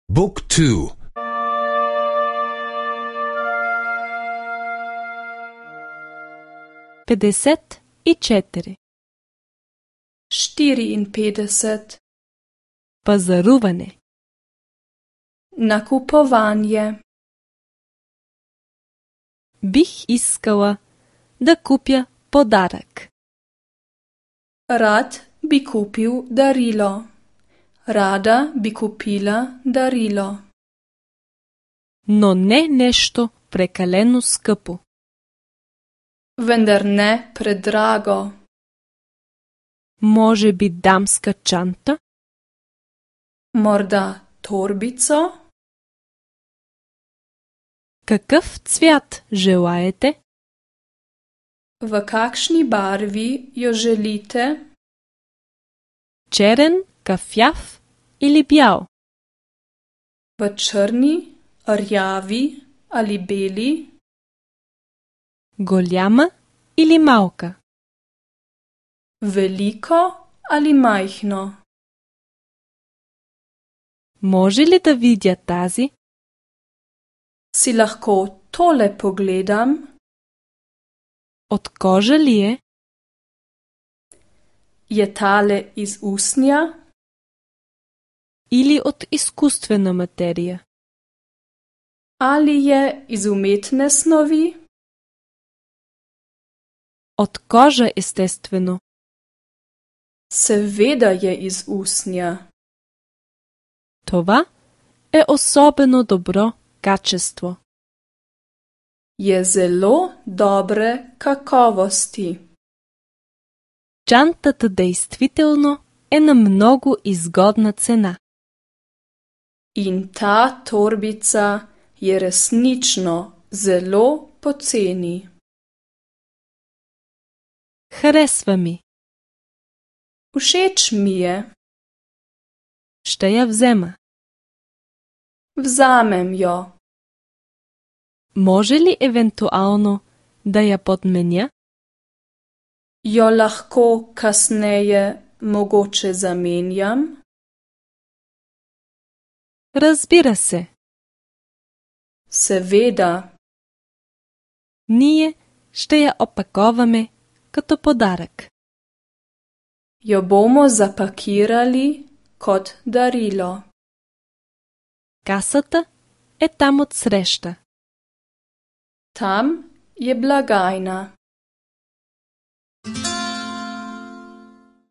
Book 2. 54. 54. Пазаруване. Nakupovanje. Бих искала да купя подарък. Rad bi kupil darilo. Rada bi kupila darilo. Но не нещо прекалено скъпо. Vendar ne predrago. Може би дамска чанта? Morda torbico? Какъв цвят желаете? V kakšni barvi jo želite? Черен, кафяв или бял? V črni, rjavi ali beli? Голяма или малка? Veliko ali majhno? Може ли да видя тази? Si lahko tole pogledam? От кожа ли е? Je tale iz usnja? Или от изкуствена материя? Ali je iz umetne snovi? От кожа, естествено. Seveda je iz usnja. Това е особено добро качество. Je zelo dobre kakovosti. Чантата действително е на много изгодна цена. In ta torbica je resnično zelo poceni. Харесва ми. Všeč mi je. Ще я взема. Vzamem jo. Може ли евентуално да я подменя? Jo lahko kasneje mogoče zamenjam? Разбира се. Seveda. Ние ще я опаковаме като подарък. Jo bomo zapakirali kot darilo. Касата е там отсреща. Tam je blagajna.